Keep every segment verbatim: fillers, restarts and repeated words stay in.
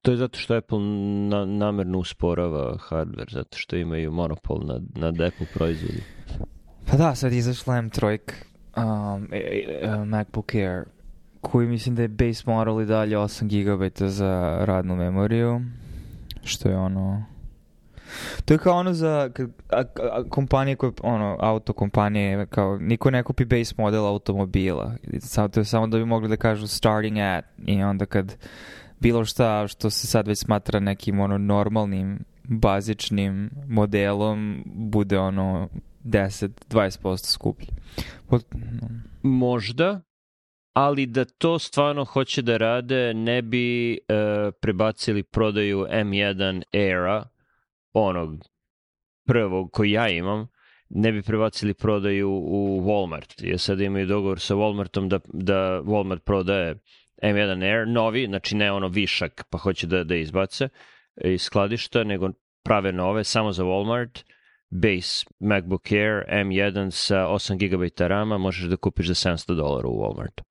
To je zato što Apple na, namerno usporava hardware, zato što imaju monopol nad, nad Apple proizvodi. Pa da, sad izašla M tri um, MacBook Air, koji mislim da je base model i dalje osam gigabajta za radnu memoriju, što je ono... To je kao ono za a, a, kompanije koje, ono, auto kompanije, kao niko ne kupi base model automobila. Samo, to je samo da bi mogli da kažu starting at, i onda kad bilo šta što se sad već smatra nekim ono normalnim, bazičnim modelom bude ono deset do dvadeset posto skuplje. Pot... Možda, ali da to stvarno hoće da rade, ne bi e, prebacili prodaju M jedan Aira, onog prvog koji ja imam, ne bi prebacili prodaju u Walmart. Jer sad imaju dogovor sa Walmartom da, da Walmart prodaje M jedan Air, novi, znači ne ono višak, pa hoće da, da izbace iz skladišta, nego prave nove, samo za Walmart. Base MacBook Air M jedan sa osam gigabajta rama možeš da kupiš za sedamsto dolara u Walmartu.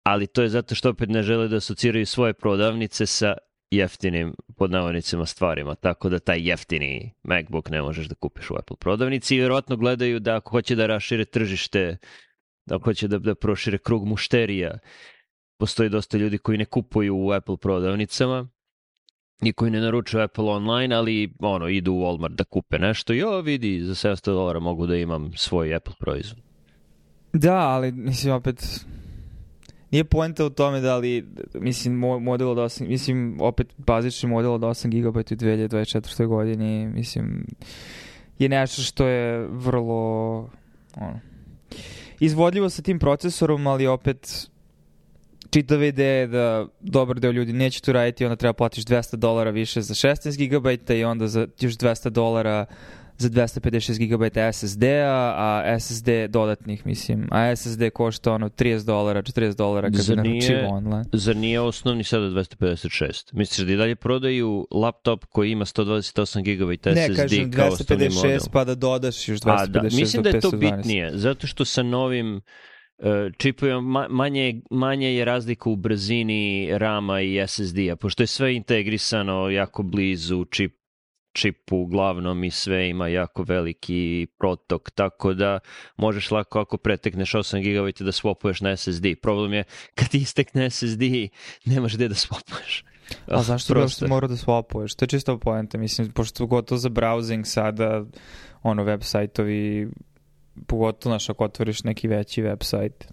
Ali to je zato što opet ne žele da asociraju svoje prodavnice sa jeftinim, pod navodnicima, stvarima, tako da taj jeftini MacBook ne možeš da kupiš u Apple prodavnici i vjerojatno gledaju da ako hoće da rašire tržište, da ako hoće da, da prošire krug mušterija, postoji dosta ljudi koji ne kupuju u Apple prodavnicama i koji ne naručuju Apple online, ali ono, idu u Walmart da kupe nešto. Jo, vidi, za sedamsto dolara mogu da imam svoj Apple proizvod. Da, ali mislim opet nije poenta u tome da li, mislim, model od osam, mislim, opet bazični model od osam gigabajta u dve hiljade dvadeset četvrtoj godini, mislim, je nešto što je vrlo, ono, izvodljivo sa tim procesorom, ali opet čitava ideja je da dobar deo ljudi neće to raditi, onda treba platiš dvesta dolara više za šesnaest gigabajta i onda za još dvesta dolara za dvesta pedeset šest gigabajta S S D-a, a S S D dodatnih, mislim, a S S D košta ono trideset dolara, četrdeset dolara kada naručimo online. Zar nije osnovni sada dvesta pedeset šest? Misliš da i dalje prodaju laptop koji ima sto dvadeset osam gigabajta S S D ne, kažem, kao osnovni model? dvesta pedeset šest pa da dodaš još dvesta pedeset šest. A, da, mislim da je to petsto dvanaest. bitnije, zato što sa novim uh, čipovima manje, manje je razlika u brzini rama i S S D-a, pošto je sve integrisano jako blizu čip čipu uglavnom i sve ima jako veliki protok, tako da možeš lako ako pretekneš osam gigabajta da swapuješ na S S D. Problem je kad ti istekne S S D nemaš gde da swapuješ. A zašto bi što mora da swapuješ? To je čisto poenta, mislim, pošto gotovo za browsing sada ono web sajtovi, pogotovo naš ako otvoriš neki veći web sajt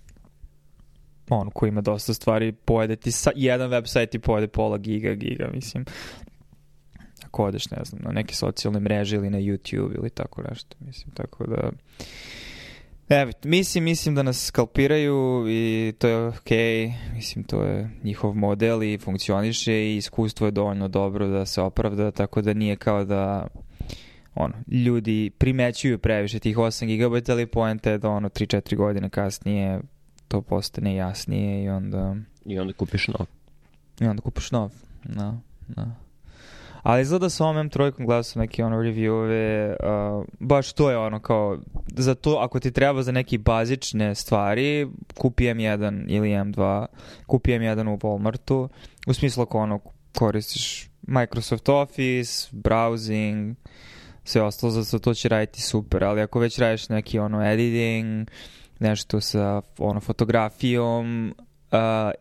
on koji ima dosta stvari, pojede ti sa, jedan web sajt i pojede pola giga, giga, mislim. Ako odeš, ne znam, na neke socijalne mreže ili na YouTube ili tako nešto, mislim, tako da... Evo, mislim, mislim da nas skalpiraju i to je okej, okay. Mislim, to je njihov model i funkcioniše i iskustvo je dovoljno dobro da se opravda, tako da nije kao da ono, ljudi primećuju previše tih osam gigabajta, ali poenta je da ono tri četiri godine kasnije to postane jasnije i onda... I onda kupiš nov. I onda kupiš nov, no, no. Ali izgleda sa ovom M tri gledao sam neke ono reviewove, uh, baš to je ono kao, za to, ako ti treba za neke bazične stvari, kupi M jedan ili M dva, kupi M jedan u Walmartu, u smislu ako ono koristiš Microsoft Office, browsing, sve ostalo, za to će raditi super, ali ako već radiš neki ono editing, nešto sa ono fotografijom, uh,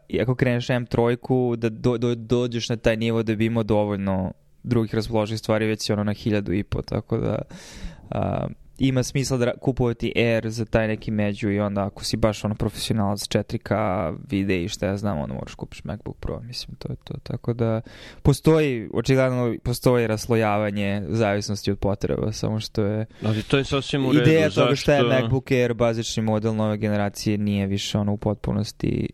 i ako kreneš M tri, da do, do, dođeš na taj nivo da bi imao dovoljno drugih raspoloživih stvari, već si ono na hiljadu i po, tako da uh, ima smisla da kupovati Air za taj neki među i onda ako si baš ono profesionalac četiri K vide i šta ja znam, onda moraš kupiš MacBook Pro, mislim, to je to, tako da postoji, očigledno postoji raslojavanje zavisnosti od potreba, samo što je, ali to je sasvim u redu. Ideja toga šta je MacBook Air, bazični model nove generacije, nije više ono u potpunosti,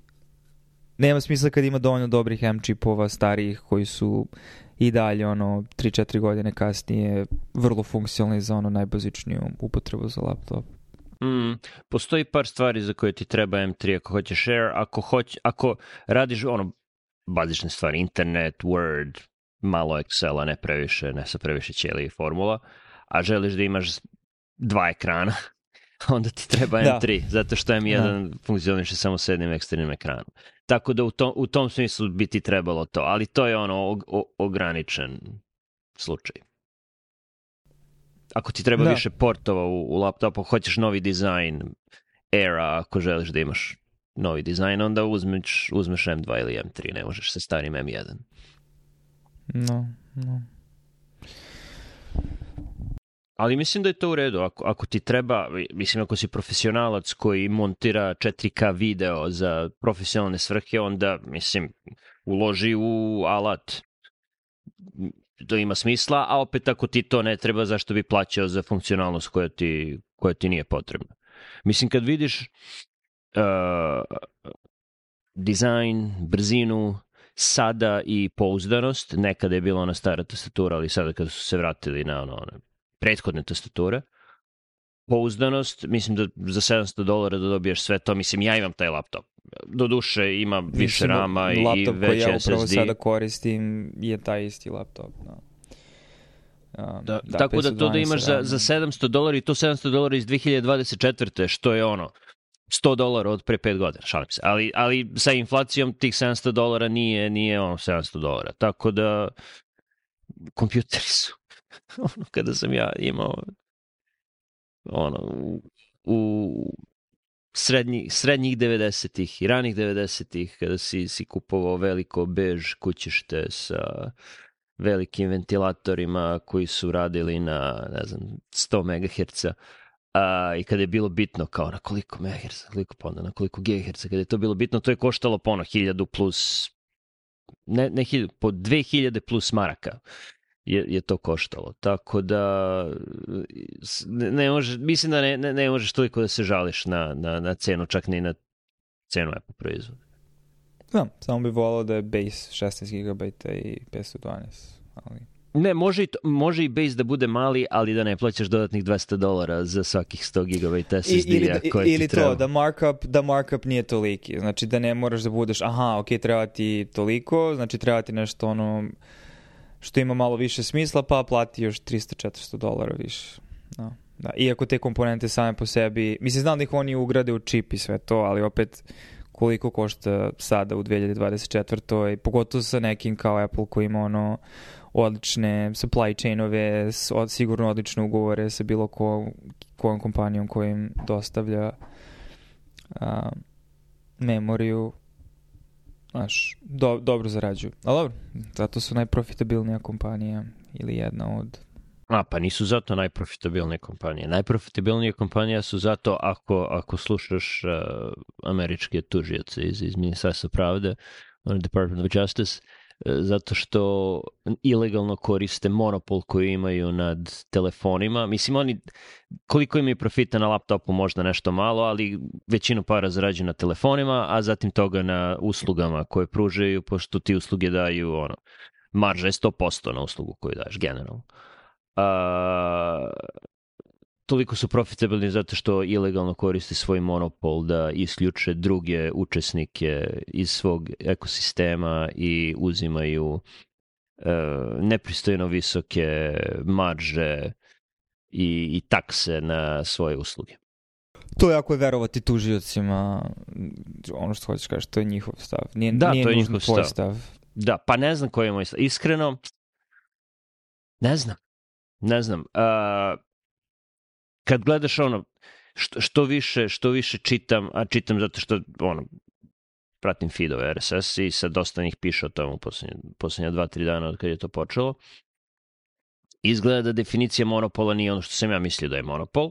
nema smisla kad ima dovoljno dobrih M čipova starijih koji su i dalje ono tri četiri godine kasnije vrlo funkcionalni za ono najbazičniju upotrebu za laptop. Mm, postoji par stvari za koje ti treba M tri ako hoćeš Air, ako, hoć, ako radiš ono bazične stvari, internet, Word, malo Excela, ne previše, ne sa previše ćelije i formula, a želiš da imaš dva ekrana, onda ti treba M tri, da. Zato što M jedan da. Funkcioniše samo s jednim eksternim ekranom. Tako da u tom, u tom smislu bi ti trebalo to, ali to je ono o, o, ograničen slučaj. Ako ti treba da. više portova u, u laptopu, hoćeš novi dizajn Aira, ako želiš da imaš novi dizajn, onda uzmeš, uzmeš M dva ili M tri, ne možeš sa starim M jedan. No, no. Ali mislim da je to u redu. Ako, ako ti treba, mislim ako si profesionalac koji montira četiri K video za profesionalne svrhe, onda, mislim, uloži u alat. To ima smisla, a opet ako ti to ne treba, zašto bi plaćao za funkcionalnost koja ti, koja ti nije potrebna. Mislim, kad vidiš uh, dizajn, brzinu, sada i pouzdanost, nekada je bila ona stara tastatura, ali sada kada su se vratili na ono, one prethodne tastature, pouzdanost, mislim da za sedamsto dolara da dobiješ sve to, mislim, ja imam taj laptop. Doduše ima više mislim, rama i laptop veći koji ja S S D. upravo sada koristim je taj isti laptop. No. Um, Da, da, tako da to da imaš za, za sedamsto dolara i to sedamsto dolara iz dve hiljade dvadeset četvrte što je ono, sto dolara od pre pet godina, šalim se. Ali, ali sa inflacijom tih sedamsto dolara nije, nije ono sedamsto dolara. Tako da kompjuteri su ono kada sam ja imao ono u, u srednji, srednjih devedesetih i ranih devedesetih kada si, si kupovao veliko bež kućište sa velikim ventilatorima koji su radili na, ne znam, sto megaherca, a, i kada je bilo bitno kao na koliko megaherca, koliko pa onda na koliko gigaherca, kada je to bilo bitno, to je koštalo po ono hiljadu plus, ne, ne hiljadu, po dve hiljade plus maraka je, je to koštalo. Tako da ne, ne može, mislim da ne, ne, ne možeš toliko da se žališ na, na, na cenu, čak ni na cenu Apple proizvoda. Da, samo bih volao da je base šesnaest gigabajta i petsto dvanaest. Ali... Ne, može i, to, može i base da bude mali, ali da ne plaćaš dodatnih dvesta dolara za svakih sto gigabajta S S D-a koje ti ili treba. to, da markup, da markup nije toliki. Znači da ne moraš da budeš, aha, ok, treba ti toliko, znači treba ti nešto ono što ima malo više smisla, pa plati još tristo do četiristo dolara više. No, da. Iako te komponente same po sebi, mislim, znam da ih oni ugrade u čip i sve to, ali opet koliko košta sada u dve hiljade dvadeset četvrtoj pogotovo sa nekim kao Apple koji ima ono odlične supply chainove, sigurno odlične ugovore sa bilo ko, kojom kompanijom kojim dostavlja a, memoriju. Znaš, do, dobro zarađuju. Ali dobro, zato su najprofitabilnija kompanija ili jedna od... A, pa nisu zato najprofitabilnije kompanije. Najprofitabilnije kompanije su zato ako, ako slušaš uh, američke tužioce iz, iz Ministarstva pravde, Department of Justice, uh, zato što ilegalno koriste monopol koji imaju nad telefonima. Mislim, oni, koliko imaju profita na laptopu, možda nešto malo, ali većinu para zarađuju na telefonima, a zatim toga na uslugama koje pružaju, pošto ti usluge daju, ono, marža je sto posto na uslugu koju daješ generalno. Uh, toliko su profitabilni zato što ilegalno koriste svoj monopol da isključe druge učesnike iz svog ekosistema i uzimaju uh, nepristojno visoke marže i, i takse na svoje usluge. To je ako je verovati tužiocima, ono što hoćeš kažeš, to je njihov stav. Nije, da, nije to je njihov njihov tvoj stav. stav. Da, pa ne znam koji je moj stav. Iskreno, ne znam. Ne znam, uh, kad gledaš ono, što, što, više, što više čitam, a čitam zato što ono, pratim feedove R S S i sad dosta njih piše o tomu posljednje, posljednja dva, tri dana od kad je to počelo. Izgleda da definicija monopola nije ono što sam ja mislio da je monopol,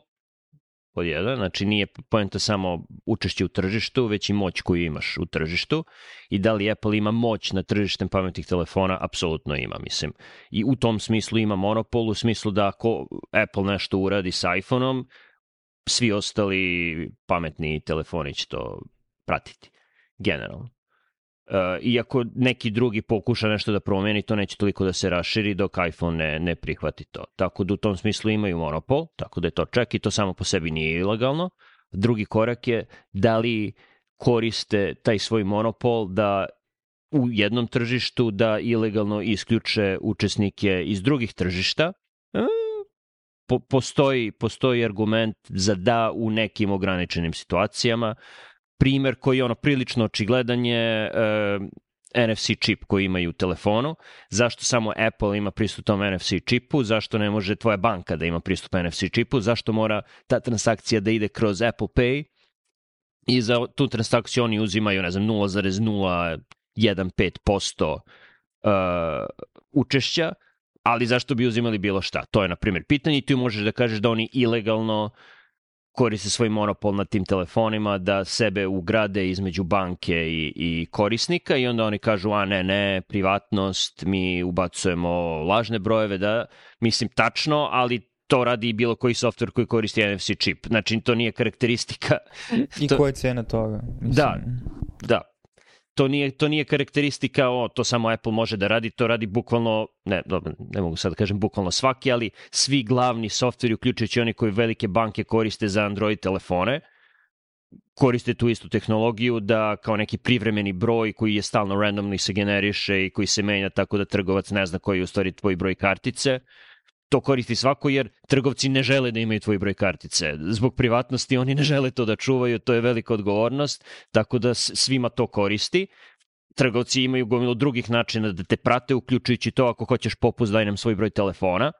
pod jedan, znači nije poenta samo učešće u tržištu, već i moć koju imaš u tržištu i da li Apple ima moć na tržištem pametnih telefona, apsolutno ima, mislim. I u tom smislu ima monopol, u smislu da ako Apple nešto uradi sa iPhone-om, svi ostali pametni telefoni će to pratiti, generalno. Uh, iako neki drugi pokuša nešto da promeni, to neće toliko da se raširi dok iPhone ne, ne prihvati to. Tako da u tom smislu imaju monopol, tako da je to čak i to samo po sebi nije ilegalno. Drugi korak je da li koriste taj svoj monopol da u jednom tržištu da ilegalno isključe učesnike iz drugih tržišta. Po, postoji, postoji argument za da u nekim ograničenim situacijama. primer koji je ono prilično očigledan je uh, N F C čip koji imaju u telefonu. Zašto samo Apple ima pristup tom N F C čipu? Zašto ne može tvoja banka da ima pristup N F C čipu? Zašto mora ta transakcija da ide kroz Apple Pay? I za tu transakciju oni uzimaju, ne znam, nula zarez nula jedan pet posto uh, učešća, ali zašto bi uzimali bilo šta? To je, na primjer, pitanje i tu možeš da kažeš da oni ilegalno koriste svoj monopol nad tim telefonima, da sebe ugrade između banke i, i korisnika i onda oni kažu, a ne, ne, privatnost, mi ubacujemo lažne brojeve, da, mislim, tačno, ali to radi i bilo koji software koji koristi N F C čip. Znači, to nije karakteristika. I to... koja je cena toga? Mislim. Da, da. To nije, to nije karakteristika, o, to samo Apple može da radi, to radi bukvalno, ne, dobro, ne mogu sad da kažem bukvalno svaki, ali svi glavni softveri, uključujući oni koji velike banke koriste za Android telefone, koriste tu istu tehnologiju da kao neki privremeni broj koji je stalno randomly se generiše i koji se menja tako da trgovac ne zna koji je u stvari tvoj broj kartice. To koristi svako jer trgovci ne žele da imaju tvoj broj kartice. Zbog privatnosti oni ne žele to da čuvaju, to je velika odgovornost, tako da svima to koristi. Trgovci imaju gomilu drugih načina da te prate, uključujući to ako hoćeš popust daj nam svoj broj telefona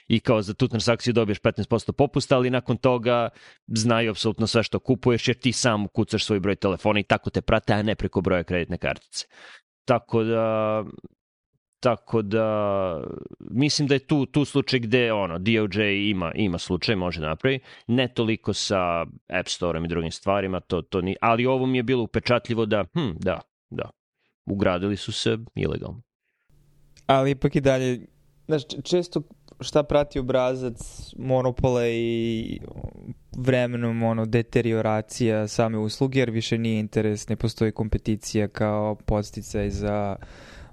i kao za tu transakciju dobiješ petnaest posto popusta, ali nakon toga znaju apsolutno sve što kupuješ jer ti sam kucaš svoj broj telefona i tako te prate, a ne preko broja kreditne kartice. Tako da... Tako da, mislim da je tu, tu slučaj gde ono, D O J ima, ima slučaj, može da napravi, ne toliko sa App Store-om i drugim stvarima, to, to ni, ali ovo mi je bilo upečatljivo da, hm, da, da, ugradili su se ilegalno. Ali ipak i dalje, znaš, često šta prati obrazac monopola i vremenom ono, deterioracija same usluge, jer više nije interes, ne postoji kompeticija kao podsticaj za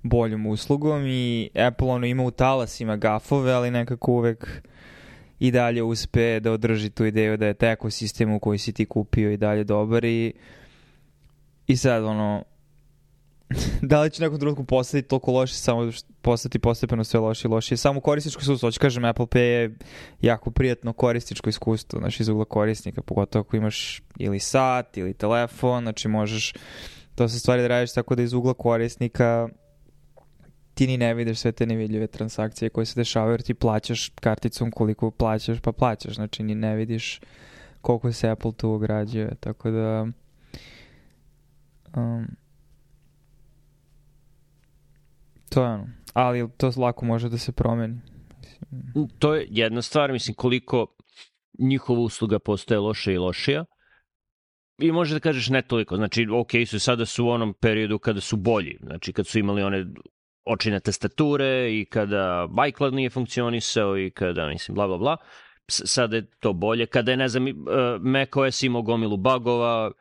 boljom uslugom i Apple ono ima u talasima gafove, ali nekako uvek i dalje uspe da održi tu ideju da je taj ekosistem u koji si ti kupio i dalje dobar i, i sad ono da li će nekom trenutku postati toliko loše, samo postati postepeno sve loše i loše. Samo korisničko iskustvo, hoću kažem, Apple Pay je jako prijatno korisničko iskustvo, znači iz ugla korisnika, pogotovo ako imaš ili sat ili telefon, znači možeš to se stvari da radiš tako da iz ugla korisnika ti ni ne vidiš sve te nevidljive transakcije koje se dešavaju jer ti plaćaš karticom koliko plaćaš pa plaćaš, znači ni ne vidiš koliko se Apple tu ugrađuje, tako da um, to je ono, ali to lako može da se promeni. To je jedna stvar, mislim koliko njihova usluga postaje loše i lošija i može da kažeš ne toliko, znači ok su sada su u onom periodu kada su bolji, znači kad su imali one očine tastature i kada iCloud nije funkcionisao i kada, mislim, bla, bla, bla. Sada je to bolje. Kada je, ne znam, macOS imao gomilu bugova,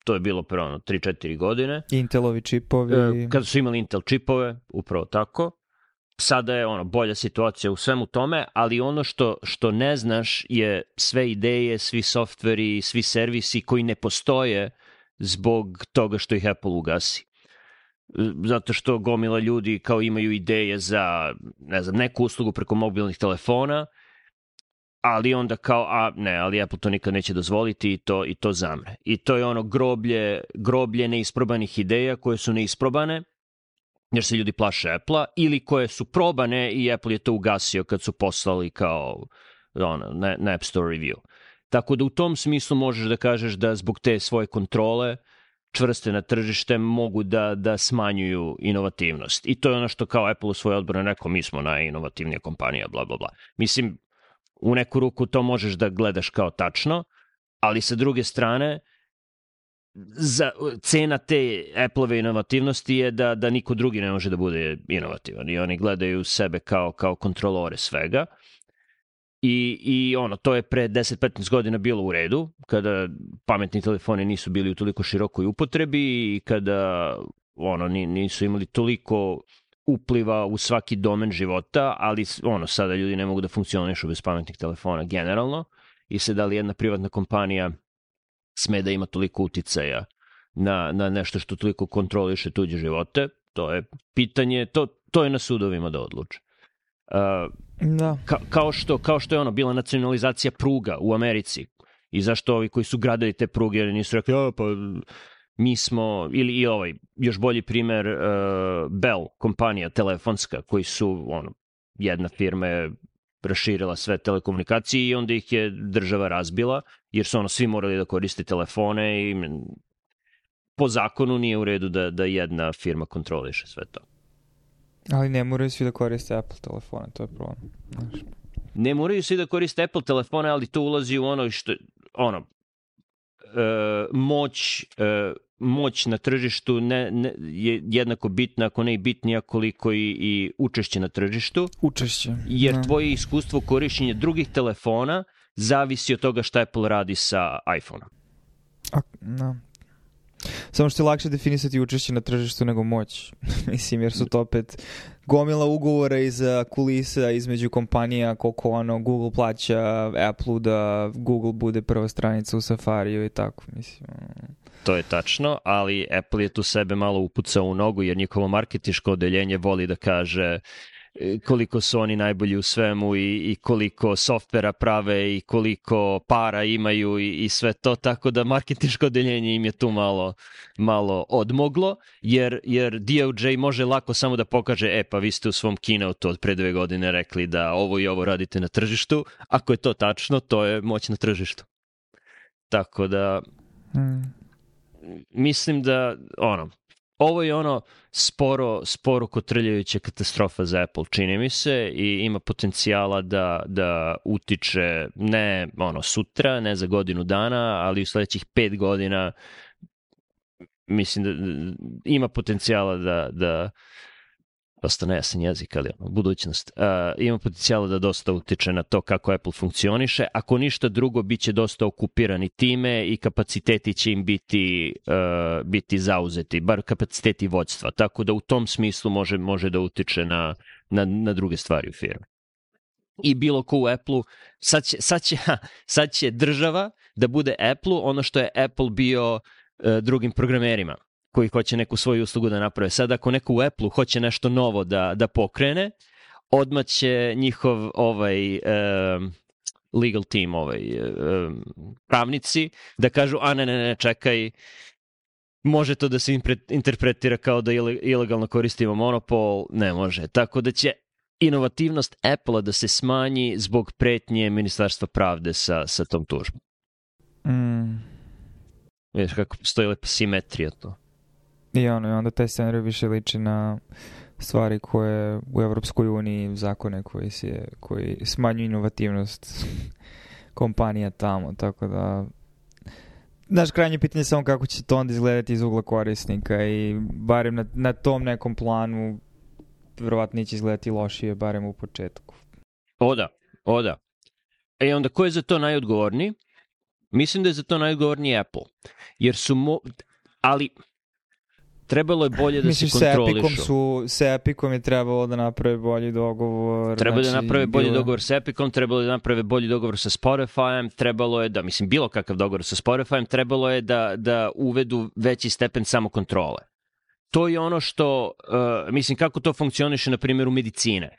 to je bilo pre ono tri četiri godine. Intelovi čipovi. Kada su imali Intel čipove, upravo tako. Sada je ono bolja situacija u svemu tome, ali ono što, što ne znaš je sve ideje, svi softveri, svi servisi koji ne postoje zbog toga što ih Apple ugasi. Zato što gomila ljudi kao imaju ideje za, ne znam, neku uslugu preko mobilnih telefona, ali onda kao, a ne, ali Apple to nikad neće dozvoliti i to, i to zamre. I to je ono groblje, groblje neisprobanih ideja koje su neisprobane, jer se ljudi plaše Apple-a, ili koje su probane i Apple je to ugasio kad su poslali kao ono, na, na App Store review. Tako da u tom smislu možeš da kažeš da zbog te svoje kontrole čvrste na tržište mogu da, da smanjuju inovativnost. I to je ono što kao Apple u svojoj odbrani rekao, mi smo najinovativnija kompanija, bla, bla, bla. Mislim, u neku ruku to možeš da gledaš kao tačno, ali sa druge strane, za, cena te Apple-ove inovativnosti je da, da niko drugi ne može da bude inovativan. I oni gledaju sebe kao, kao kontrolore svega. I, i ono, to je pre deset do petnaest godina bilo u redu, kada pametni telefoni nisu bili u toliko širokoj upotrebi i kada ono, nisu imali toliko upliva u svaki domen života, ali ono, sada ljudi ne mogu da funkcionišu bez pametnih telefona generalno i se da li jedna privatna kompanija sme da ima toliko uticaja na, na nešto što toliko kontroliše tuđe živote, to je pitanje, to, to je na sudovima da odluče. Uh, da. Ka, kao, što, kao što je ono bila nacionalizacija pruga u Americi I zašto ovi koji su gradili te pruge nisu rekli, ja, pa mi smo, ili i ovaj, još bolji primer, uh, Bell, kompanija telefonska, koji su, ono, jedna firma je raširila sve telekomunikacije i onda ih je država razbila, jer su ono svi morali da koriste telefone i po zakonu nije u redu da, da jedna firma kontroliše sve to. Ali ne moraju svi da koriste Apple telefone, to je problem. Znaš. Ne moraju svi da koriste Apple telefone, ali to ulazi u ono što, ono, e, moć, e, moć na tržištu ne, ne, je jednako bitna, ako ne i bitnija koliko i, i učešće na tržištu. Učešće. Jer no. tvoje iskustvo korišćenja drugih telefona zavisi od toga šta Apple radi sa iPhone-om. No. Samo što je lakše definisati učešće na tržištu nego moć. Mislim, jer su to opet gomila ugovora iza kulisa između kompanija, koliko ono Google plaća Apple-u da Google bude prva stranica u Safariju i tako, mislim. To je tačno, ali Apple je tu sebe malo upucao u nogu jer njihovo marketinško odeljenje voli da kaže koliko su oni najbolji u svemu i, i koliko softvera prave i koliko para imaju i, i sve to, tako da marketinško odeljenje im je tu malo, malo odmoglo, jer, jer D O J može lako samo da pokaže, e pa vi ste u svom keynote od pre dve godine rekli da ovo i ovo radite na tržištu, ako je to tačno, to je moć na tržištu. Tako da hmm. mislim da ono, ovo je ono sporo, sporo kotrljajuća katastrofa za Apple, čini mi se, i ima potencijala da, da utiče ne ono sutra, ne za godinu dana, ali u sledećih pet godina mislim da ima potencijala da, da dosta nejasan jezik, ali ono, budućnost, uh, ima potencijala da dosta utiče na to kako Apple funkcioniše. Ako ništa drugo, bit će dosta okupirani time i kapaciteti će im biti, uh, biti zauzeti, bar kapaciteti vođstva. Tako da u tom smislu može, može da utiče na, na, na druge stvari u firmi. I bilo ko u Apple-u, sad će, sad će, ha, sad će država da bude Apple-u ono što je Apple bio uh, drugim programerima koji hoće neku svoju uslugu da naprave. Sad ako neko u Apple-u hoće nešto novo da, da pokrene, odmah će njihov ovaj um, legal team, ovaj um, pravnici da kažu, a ne, ne, ne, čekaj, može to da se interpretira kao da ilegalno koristimo monopol, ne može. Tako da će inovativnost Apple-a da se smanji zbog pretnje Ministarstva pravde sa, sa tom tužbom. Mm. Vidiš kako postoji lepa simetrija to. I ono, i onda taj scenarij više liči na stvari koje u Evropskoj uniji, zakone koji, se, koji smanjuju inovativnost kompanija tamo, tako da naš krajnje pitanje je samo kako će to onda izgledati iz ugla korisnika i barem na, na tom nekom planu verovatno neće izgledati lošije, barem u početku. O da, o da. E onda ko je za to najodgovorniji? Mislim da je za to najodgovorniji Apple. Jer su mo... ali trebalo je bolje da Misliš, se kontrolišu. Misliš, su, sa Epicom je trebalo da naprave bolji dogovor. Trebalo znači, da naprave bolji bilo... dogovor sa Epicom, trebalo je da naprave bolji dogovor sa Spotifyem, trebalo je da, mislim, bilo kakav dogovor sa Spotifyem, trebalo je da, da uvedu veći stepen samokontrole. To je ono što, uh, mislim, kako to funkcioniše na primjer u medicine.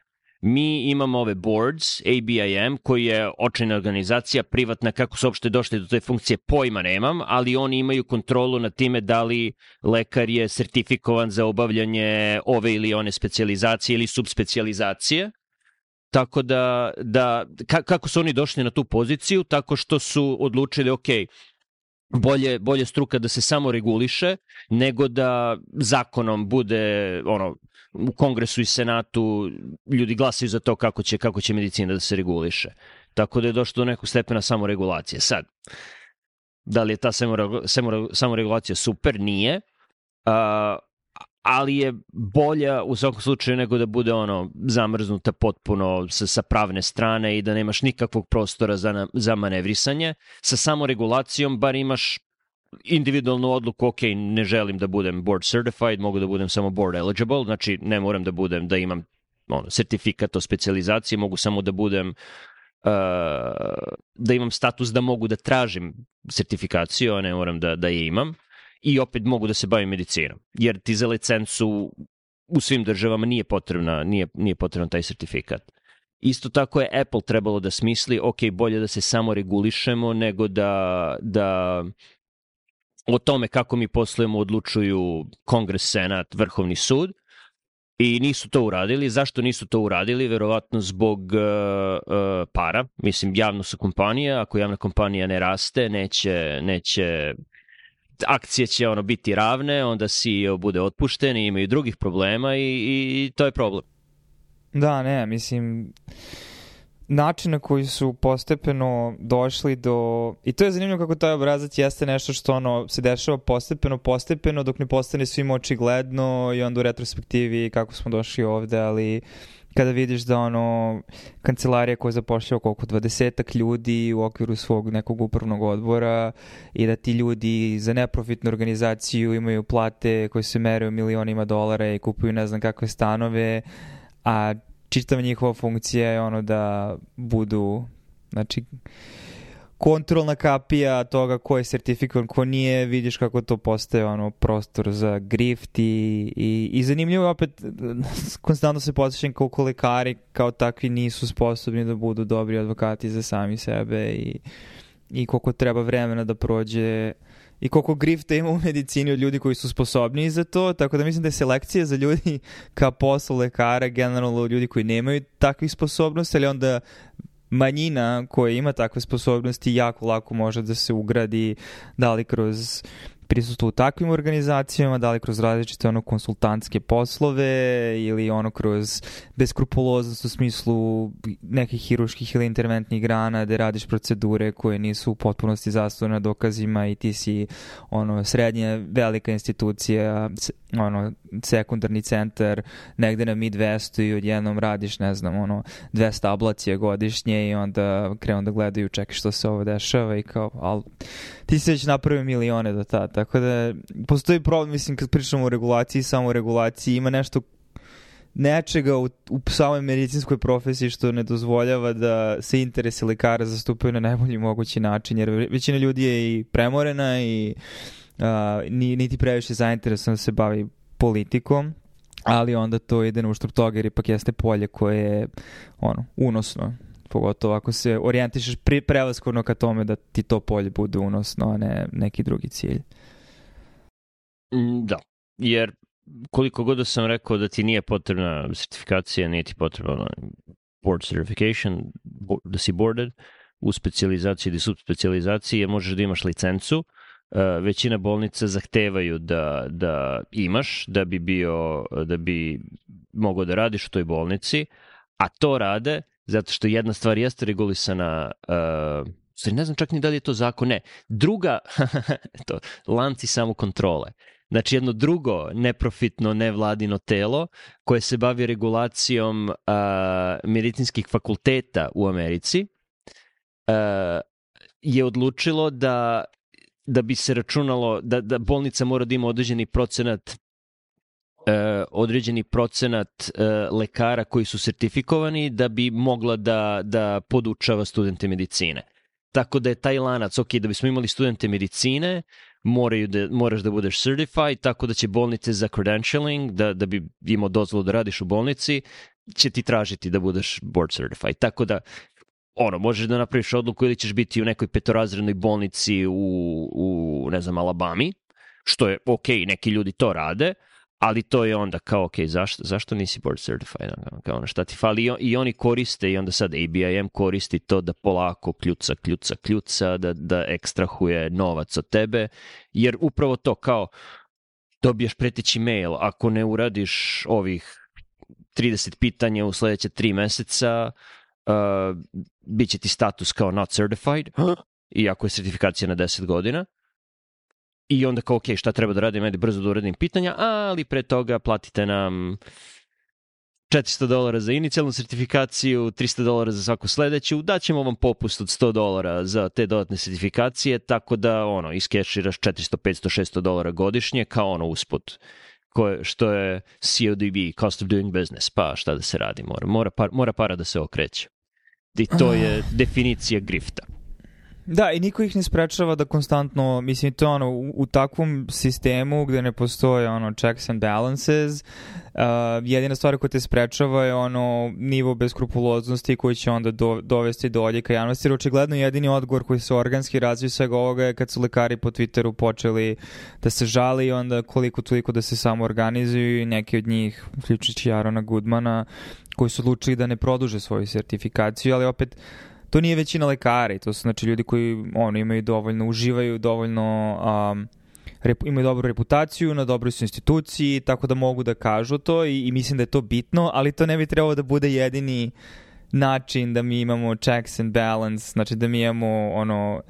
Mi imamo ove boards, A B I M, koji je očajna organizacija, privatna, kako su uopšte došli do te funkcije, pojma nemam, ali oni imaju kontrolu nad time da li lekar je sertifikovan za obavljanje ove ili one specijalizacije ili subspecijalizacije. Tako da, da ka, kako su oni došli na tu poziciju? Tako što su odlučili, ok, bolje, bolje struka da se samo reguliše, nego da zakonom bude, ono, u Kongresu i Senatu ljudi glasaju za to kako će, kako će medicina da se reguliše. Tako da je došlo do nekog stepena samoregulacije. Sad, da li je ta samoregulacija super? Nije. Uh, ali je bolja u svakom slučaju nego da bude ono zamrznuta potpuno sa, sa pravne strane i da nemaš nikakvog prostora za, za manevrisanje. Sa samoregulacijom bar imaš individualnu odluku, ok, ne želim da budem board certified, mogu da budem samo board eligible, znači ne moram da budem, da imam ono, sertifikat o specijalizaciji, mogu samo da budem, uh, da imam status da mogu da tražim sertifikaciju, a ne moram da, da je imam. I opet mogu da se bavim medicinom, jer ti za licencu u svim državama nije potrebna, nije, nije potreban taj sertifikat. Isto tako je Apple trebalo da smisli, ok, bolje da se samo regulišemo nego da, da o tome kako mi poslujemo odlučuju Kongres, Senat, Vrhovni sud. I nisu to uradili. Zašto nisu to uradili? Verovatno zbog uh, uh, para. Mislim, javno su kompanije. Ako javna kompanija ne raste, neće, neće akcije će ono biti ravne, onda C E O bude otpušten i imaju drugih problema i, i, i to je problem. Da, ne, mislim, način na koji su postepeno došli do... I to je zanimljivo kako taj obrazac jeste nešto što ono se dešava postepeno, postepeno, dok ne postane svima očigledno i onda u retrospektivi kako smo došli ovde, ali kada vidiš da ono kancelarija koja zapošljava koliko dvadesetak ljudi u okviru svog nekog upravnog odbora i da ti ljudi za neprofitnu organizaciju imaju plate koje se mere u milionima dolara i kupuju ne znam kakve stanove, a čitava njihova funkcija je ono da budu, znači, kontrolna kapija toga ko je sertifikovan, ko nije, vidiš kako to postaje ono prostor za grift i, i, i zanimljivo je opet, konstantno se podsjećam koliko lekari kao takvi nisu sposobni da budu dobri advokati za sami sebe i, i koliko treba vremena da prođe i koliko grifta ima u medicini od ljudi koji su sposobni za to, tako da mislim da je selekcija za ljudi ka poslu lekara generalno ljudi koji nemaju takvih sposobnosti, ali onda manjina koja ima takve sposobnosti jako lako može da se ugradi, da li kroz prisustvo u takvim organizacijama, da li kroz različite ono konsultantske poslove ili ono kroz beskrupuloznost u smislu nekih hiruških ili interventnih grana gde radiš procedure koje nisu u potpunosti zasnovane na dokazima i ti si ono srednja velika institucija, ono sekundarni centar negde na Midwestu i odjednom radiš ne znam ono dvesta ablacije godišnje i onda krenu da gledaju čekaj što se ovo dešava i kao ali ti si već napravio milione do tada. Tako da postoji problem, mislim, kad pričamo o regulaciji, samo o regulaciji, ima nešto nečega u, u samoj medicinskoj profesiji što ne dozvoljava da se interesi lekara zastupaju na najbolji mogući način, jer većina ljudi je i premorena i uh, niti previše zainteresovana da se bavi politikom, ali onda to ide na uštrb toga jer ipak jeste polje koje je ono, unosno. Pogotovo ako se orijentišeš prevashodno ka tome da ti to polje bude unosno, a ne neki drugi cilj. Da, jer koliko god da sam rekao da ti nije potrebna sertifikacija, nije ti potrebna board certification, da si boarded u specijalizaciji ili subspecijalizaciji, možeš da imaš licencu. Uh, većina bolnica zahtevaju da, da imaš, da bi bio, da bi mogao da radiš u toj bolnici, a to rade zato što jedna stvar jeste regulisana, uh, ne znam čak ni da li je to zakon, ne. Druga, to, lanci samokontrole. Znači jedno drugo neprofitno, nevladino telo koje se bavi regulacijom uh, medicinskih fakulteta u Americi uh, je odlučilo da, da bi se računalo, da, da bolnica mora da ima određeni procenat Uh, određeni procenat uh, lekara koji su sertifikovani da bi mogla da, da podučava studente medicine. Tako da je taj lanac, ok, da bismo imali studente medicine, moraju da, moraš da budeš certified, tako da će bolnice za credentialing, da, da bi imao dozvolu da radiš u bolnici, će ti tražiti da budeš board certified. Tako da, ono, možeš da napraviš odluku ili ćeš biti u nekoj petorazrednoj bolnici u, u ne znam, Alabami, što je ok, neki ljudi to rade, ali to je onda kao, ok, zašto, zašto nisi board certified? Kao ono, šta ti fali? I, I oni koriste, i onda sad A B I M koristi to da polako kljuca, kljuca, kljuca, da, da ekstrahuje novac od tebe, jer upravo to kao dobiješ preteći mail, ako ne uradiš ovih trideset pitanja u sledeće tri meseca, uh, bit će ti status kao not certified, iako je sertifikacija na deset godina. I onda kao, ok, šta treba da radim, ajde brzo da uradim pitanja, ali pre toga platite nam četiristo dolara za inicijalnu sertifikaciju, tristo dolara za svaku sledeću, daćemo vam popust od sto dolara za te dodatne sertifikacije, tako da, ono, iskeširaš četiristo, petsto, šesto dolara godišnje, kao ono usput, koje, što je C O D B, cost of doing business, pa šta da se radi, mora, mora, par, mora para da se okreće. I to je definicija grifta. Da, i niko ih ne sprečava da konstantno, mislim, to ono, u, u takvom sistemu gde ne postoje ono checks and balances, uh, jedina stvar koja te sprečava je ono nivo beskrupuloznosti koji će onda do, dovesti do odjeka javnosti, jer očigledno jedini odgovor koji se organski razvije svega ovoga je kad su lekari po Twitteru počeli da se žali i onda koliko toliko da se samo organizuju i neki od njih, uključujući Arona Goodmana, koji su odlučili da ne produže svoju sertifikaciju, ali opet to nije većina lekara, to su znači ljudi koji ono, imaju dovoljno, uživaju dovoljno, um, rep, imaju dobru reputaciju, na dobroj su instituciji, tako da mogu da kažu to i, i mislim da je to bitno, ali to ne bi trebalo da bude jedini način da mi imamo checks and balance, znači da mi imamo ono,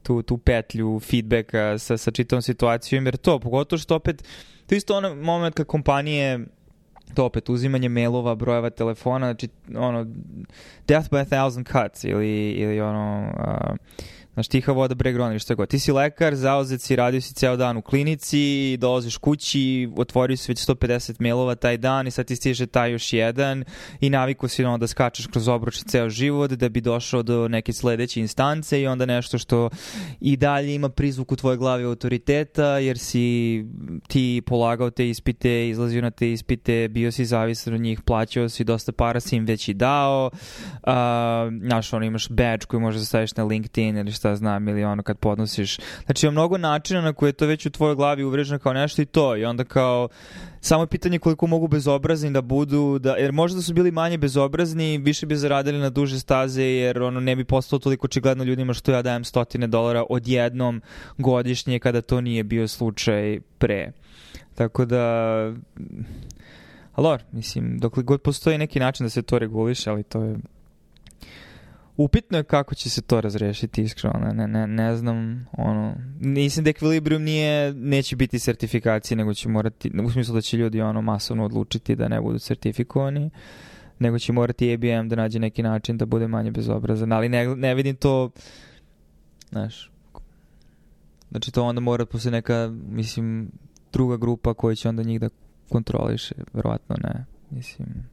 tu, tu petlju feedbacka sa, sa čitavom situacijom, jer to, pogotovo što opet, to je isto ono moment kad kompanije to opet uzimanje mailova, brojeva telefona, znači ono death by a thousand cuts ili, ili ono uh, znaš, tiha voda breg roni, što je god. Ti si lekar, zauzet si, radio si ceo dan u klinici, dolaziš kući, otvorio si već sto pedeset mailova taj dan i sad ti stiže taj još jedan i naviku si ono da skačeš kroz obruč ceo život da bi došao do neke sledeće instance i onda nešto što i dalje ima prizvuk u tvojoj glavi autoriteta jer si ti polagao te ispite, izlazio na te ispite, bio si zavisan od njih, plaćao si, dosta para si im već i dao, uh, znaš, ono, imaš badge koji možeš da staviš na LinkedIn ili šta znam, ili ono kad podnosiš. Znači ima mnogo načina na koje je to već u tvojoj glavi uvreženo kao nešto i to. I onda kao samo je pitanje koliko mogu bezobrazni da budu, da, jer možda su bili manje bezobrazni, više bi zaradili na duže staze, jer ono ne bi postalo toliko očigledno ljudima što ja dajem stotine dolara odjednom godišnje kada to nije bio slučaj pre. Tako da alor, mislim, dokle god postoji neki način da se to reguliše, ali to je upitno je kako će se to razrešiti, iskreno, ne, ne, ne znam, ono, mislim da Equilibrium nije, neće biti sertifikacije, nego će morati, u smislu da će ljudi ono masovno odlučiti da ne budu sertifikovani, nego će morati A B M da nađe neki način da bude manje bezobrazan, ali ne, ne vidim to, znaš, znači to onda mora posle neka, mislim, druga grupa koja će onda njih da kontroliše, verovatno ne, mislim.